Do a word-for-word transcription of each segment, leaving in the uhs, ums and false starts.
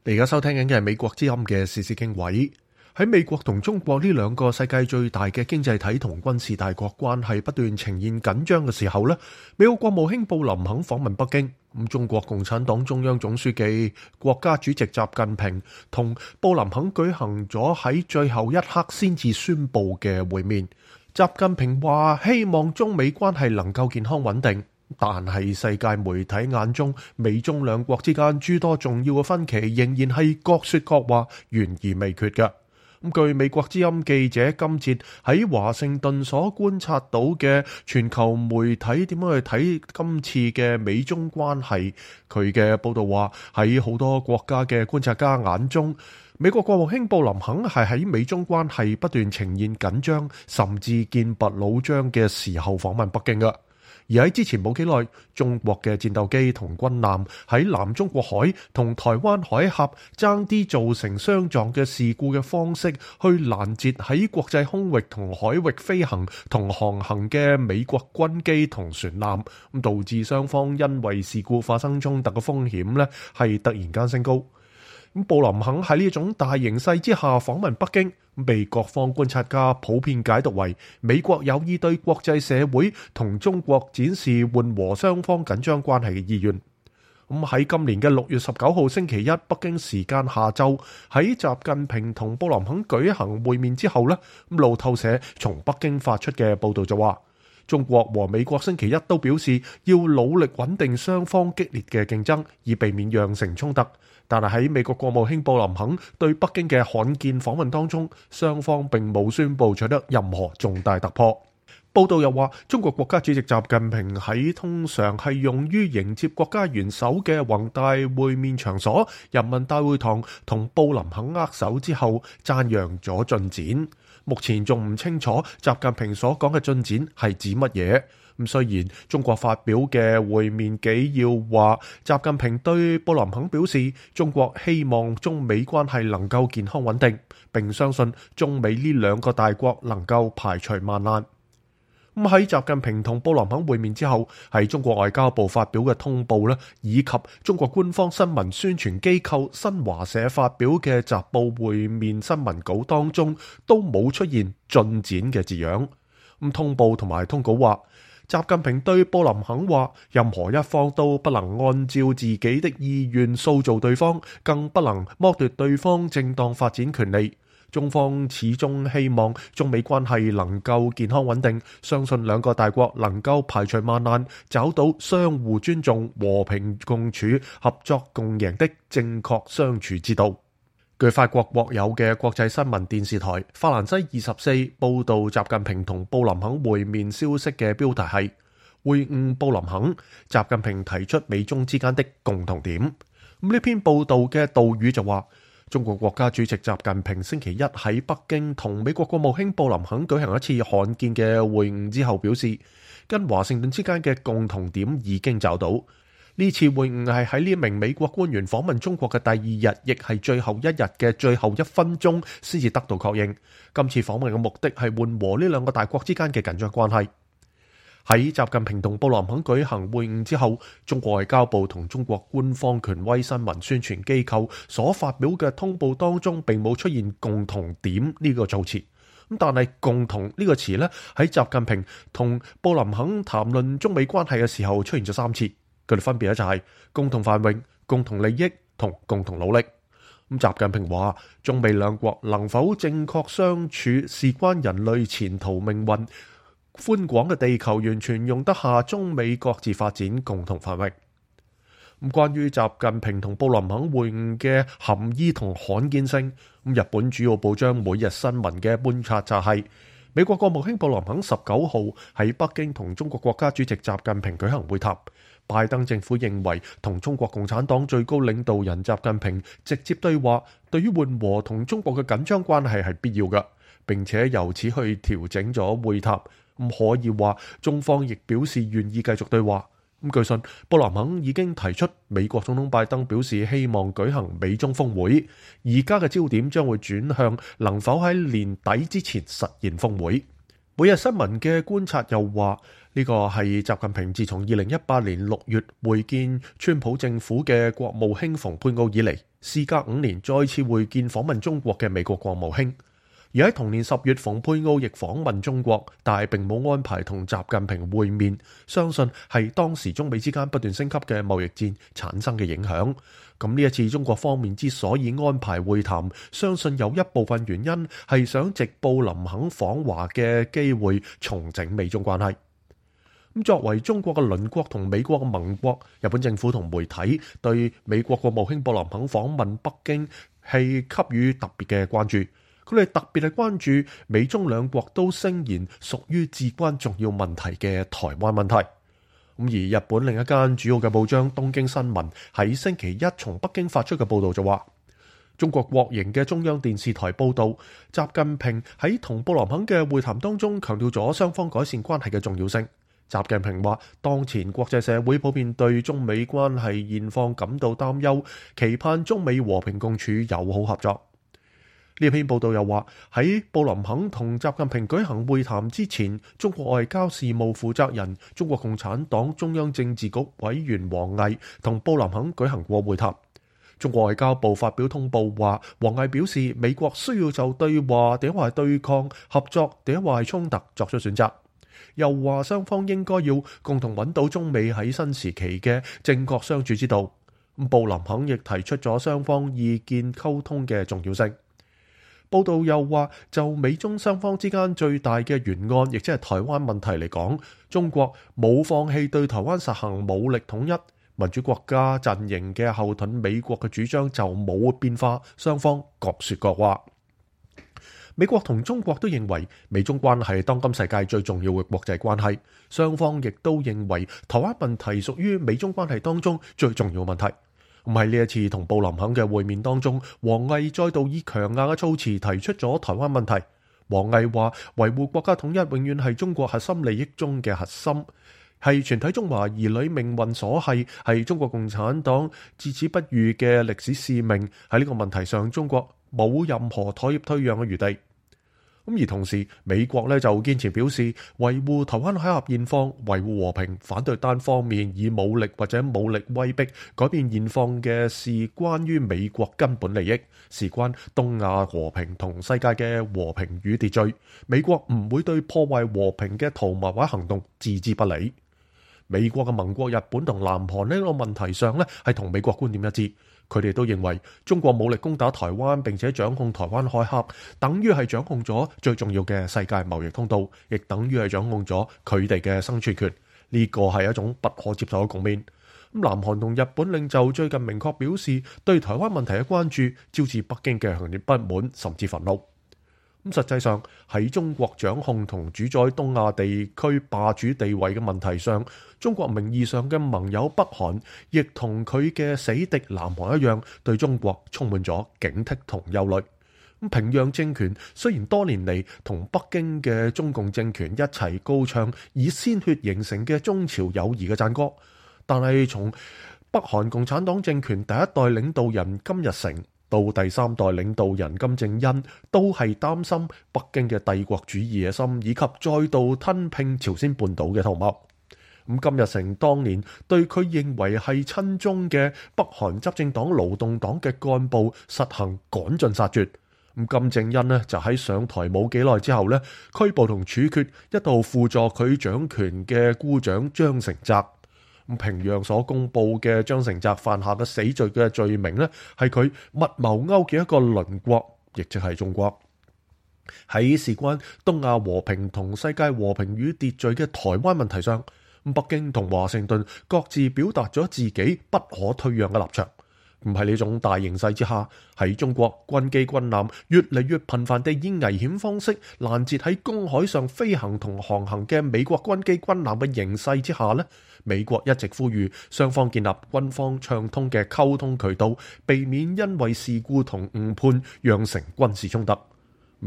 你而家收聽緊嘅係美國之音嘅時事經緯。喺美國同中國呢兩個世界最大嘅經濟體同軍事大國關係不斷呈現緊張嘅時候呢，美國國務卿布林肯訪問北京。咁中國共產黨中央總書記、國家主席習近平同布林肯舉行咗喺最後一刻先至宣布嘅會面。習近平話希望中美關係能夠健康穩定。但係世界媒體眼中，美中兩國之間諸多重要嘅分歧仍然係各說各話，懸而未決嘅。咁據美國之音記者今節喺華盛頓所觀察到嘅全球媒體點樣去睇今次嘅美中關係，佢嘅報道話喺好多國家嘅觀察家眼中，美國國務卿布林肯係喺美中關係不斷呈現緊張，甚至劍拔弩張嘅時候訪問北京嘅。而喺之前冇幾耐，中國嘅戰鬥機同軍艦喺南中國海同台灣海峽爭啲造成相撞嘅事故嘅方式，去攔截喺國際空域同海域飛行同航行嘅美國軍機同船艦，咁導致雙方因為事故發生衝突嘅風險呢係突然間升高。咁布林肯喺呢種大形勢之下訪問北京，被各方觀察家普遍解讀為美國有意對國際社會同中國展示緩和雙方緊張關係嘅意願。咁喺今年嘅六月十九號星期一北京時間下晝，喺習近平同布林肯舉行會面之後呢，路透社從北京發出嘅報道就話，中國和美國星期一都表示要努力穩定雙方激烈嘅競爭，以避免釀成衝突。但係喺美國國務卿布林肯對北京嘅罕見訪問當中，雙方並冇宣布取得任何重大突破。報道又話，中國國家主席習近平喺通常係用於迎接國家元首嘅宏大會面場所人民大會堂同布林肯握手之後，讚揚咗進展。目前仲唔清楚習近平所講嘅進展係指乜嘢。咁雖然中國發表嘅會面紀要話，習近平對布林肯表示，中國希望中美關係能夠健康穩定，並相信中美呢兩個大國能夠排除萬難。咁喺習近平同布林肯會面之後，喺中國外交部發表嘅通報咧，以及中國官方新聞宣傳機構新華社發表嘅習報會面新聞稿當中，都冇出現進展嘅字樣。咁通報同埋通稿話，習近平對布林肯話，任何一方都不能按照自己的意願塑造對方，更不能剝奪對方正當發展權利。中方始終希望中美關係能夠健康穩定，相信兩個大國能夠排除萬難，找到相互尊重、和平共處、合作共贏的正確相處之道。據法國國有嘅國際新聞電視台法蘭西二十四報道習近平同布林肯會面消息嘅標題係會晤布林肯，習近平提出美中之間的共同點。咁呢篇報道嘅導語就話，中國國家主席習近平星期一喺北京同美國國務卿布林肯舉行一次罕見嘅會晤之後表示，跟華盛頓之間嘅共同點已經找到。呢次會晤係喺呢名美國官員訪問中國嘅第二日，亦係最後一日嘅最後一分鐘先至得到確認。今次訪問嘅目的係緩和呢兩個大國之間嘅緊張關係。喺習近平同布林肯舉行會晤之後，中國外交部同中國官方權威新聞宣傳機構所發表嘅通報當中，並冇出現共同點呢個造詞。咁但係共同呢個詞呢，喺習近平同布林肯談論中美關係嘅時候出現咗三次。佢哋分別咧就係共同繁榮、共同利益同共同努力。咁習近平話，中美兩國能否正確相處，事關人類前途命運。寬廣嘅地球完全容得下中美各自發展、共同繁榮。咁關於習近平同布林肯會晤嘅含義同罕見性，咁日本主要報章每日新聞嘅觀察就係、是，美國國務卿布林肯十九號喺北京同中國國家主席習近平舉行會談。拜登政府認為同中國共產黨最高領導人習近平直接對話，對於緩和同中國嘅緊張關係係必要嘅，並且由此去調整咗會談。咁可以話，中方亦表示願意繼續對話。咁據信，布林肯已經提出，美國總統拜登表示希望舉行美中峰會，而家嘅焦點將會轉向能否喺年底之前實現峰會。每日新聞嘅觀察又話，呢個係習近平自從二零一八年六月會見川普政府嘅國務卿蓬佩奧以嚟，事隔五年再次會見訪問中國嘅美國國務卿。而喺同年十月，蓬佩奧亦訪問中國，但係並冇安排同習近平會面，相信係當時中美之間不斷升級嘅貿易戰產生嘅影響。咁呢一次中國方面之所以安排會談，相信有一部分原因係想藉布林肯訪華嘅機會重整美中關係。咁作為中國嘅鄰國同美國嘅盟國，日本政府同媒體對美國國務卿布林肯訪問北京係給予特別嘅關注。佢哋特別係關注美中兩國都聲言屬於至關重要問題嘅台灣問題。咁而日本另一間主要嘅報章東京新聞喺星期一從北京發出嘅報道就話，中國國營嘅中央電視台報道，習近平喺同布林肯嘅會談當中強調咗雙方改善關係嘅重要性。習近平話，當前國際社會普遍對中美關係現況感到擔憂，期盼中美和平共處、友好合作。呢篇報道又話，喺布林肯同習近平舉行會談之前，中國外交事務負責人、中國共產黨中央政治局委員王毅同布林肯舉行過會談。中國外交部發表通報話，王毅表示美國需要就對話、定係對抗、合作、定係衝突作出選擇。又話雙方應該要共同揾到中美喺新時期嘅正確相處之道。布林肯亦提出咗雙方意見溝通嘅重要性。報道又話，就美中雙方之間最大嘅懸案，亦即係台灣問題嚟講，中國冇放棄對台灣實行武力統一，民主國家陣營嘅後盾美國嘅主張就冇變化，雙方各說各話。美國同中國都認為美中關係當今世界最重要嘅國際關係，雙方亦都認為台灣問題屬於美中關係當中最重要問題。咁喺呢一次同布林肯嘅會面當中，王毅再度以強硬嘅措辭提出咗台灣問題。王毅話，維護國家統一永遠係中國核心利益中嘅核心，係全體中華兒女命運所繫，係中國共產黨至死不渝嘅歷史使命。喺呢個問題上，中國冇任何妥協退讓嘅餘地。咁而同時，美國咧就堅持表示維護台灣海峽現況、維護和平，反對單方面以武力或者武力威逼改變現況嘅事，關於美國根本利益，事關東亞和平同世界嘅和平與秩序。美國唔會對破壞和平嘅圖謀或行動置之不理。美國嘅盟國日本同南韓呢個問題上咧係同美國觀點一致。佢哋都認為中國武力攻打台灣並且掌控台灣海峽，等於係掌控咗最重要嘅世界貿易通道，亦等於係掌控咗佢哋嘅生存權。呢個係一種不可接受嘅局面。咁南韓同日本領袖最近明確表示對台灣問題嘅關注，招致北京嘅強烈不滿甚至憤怒。咁實際上喺中國掌控同主宰東亞地區霸主地位嘅問題上，中國名義上嘅盟友北韓，亦同佢嘅死敵南韓一樣，對中國充滿咗警惕同憂慮。咁平壤政權雖然多年嚟同北京嘅中共政權一齊高唱以鮮血形成嘅中朝友誼嘅讚歌，但係從北韓共產黨政權第一代領導人金日成到第三代領導人金正恩，都係擔心北京嘅帝國主義野心，以及再度吞併朝鮮半島嘅圖謀。咁金日成當年對佢認為係親中嘅北韓執政黨勞動黨嘅幹部實行趕盡殺絕。咁金正恩呢就喺上台冇幾耐之後呢，拘捕同處決一度輔助佢掌權嘅姑丈張成澤。平壤所公布嘅張成澤犯下嘅死罪嘅罪名呢，係佢密謀勾結一個鄰國，亦即係中國。喺事關東亞和平同世界和平與秩序嘅台灣問題上，北京同華盛頓各自表達咗自己不可退讓嘅立場。唔係呢種大形勢之下，喺中國軍機軍艦越嚟越頻繁地以危險方式攔截喺公海上飛行同航行嘅美國軍機軍艦嘅形勢之下呢，美國一直呼籲雙方建立軍方暢通嘅溝通渠道，避免因為事故同誤判釀成軍事衝突。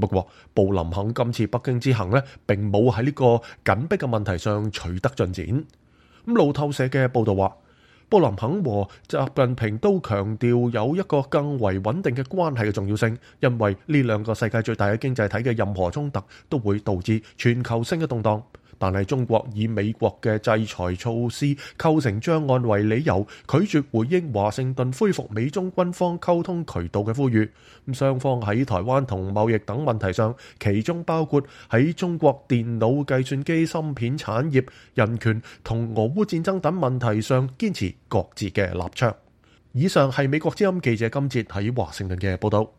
不過，布林肯今次北京之行呢，並冇喺呢個緊迫嘅問題上取得進展。咁路透社嘅報道話，布林肯和習近平都強調有一個更為穩定嘅關係嘅重要性，因為呢兩個世界最大嘅經濟體嘅任何衝突都會導致全球性嘅動盪。但係中國以美國嘅制裁措施構成障礙為理由，拒絕回應華盛頓恢復美中軍方溝通渠道嘅呼籲。咁雙方喺台灣同貿易等問題上，其中包括喺中國電腦計算機芯片產業、人權同俄烏戰爭等問題上，堅持各自嘅立場。以上係美國之音記者金哲喺華盛頓嘅報道。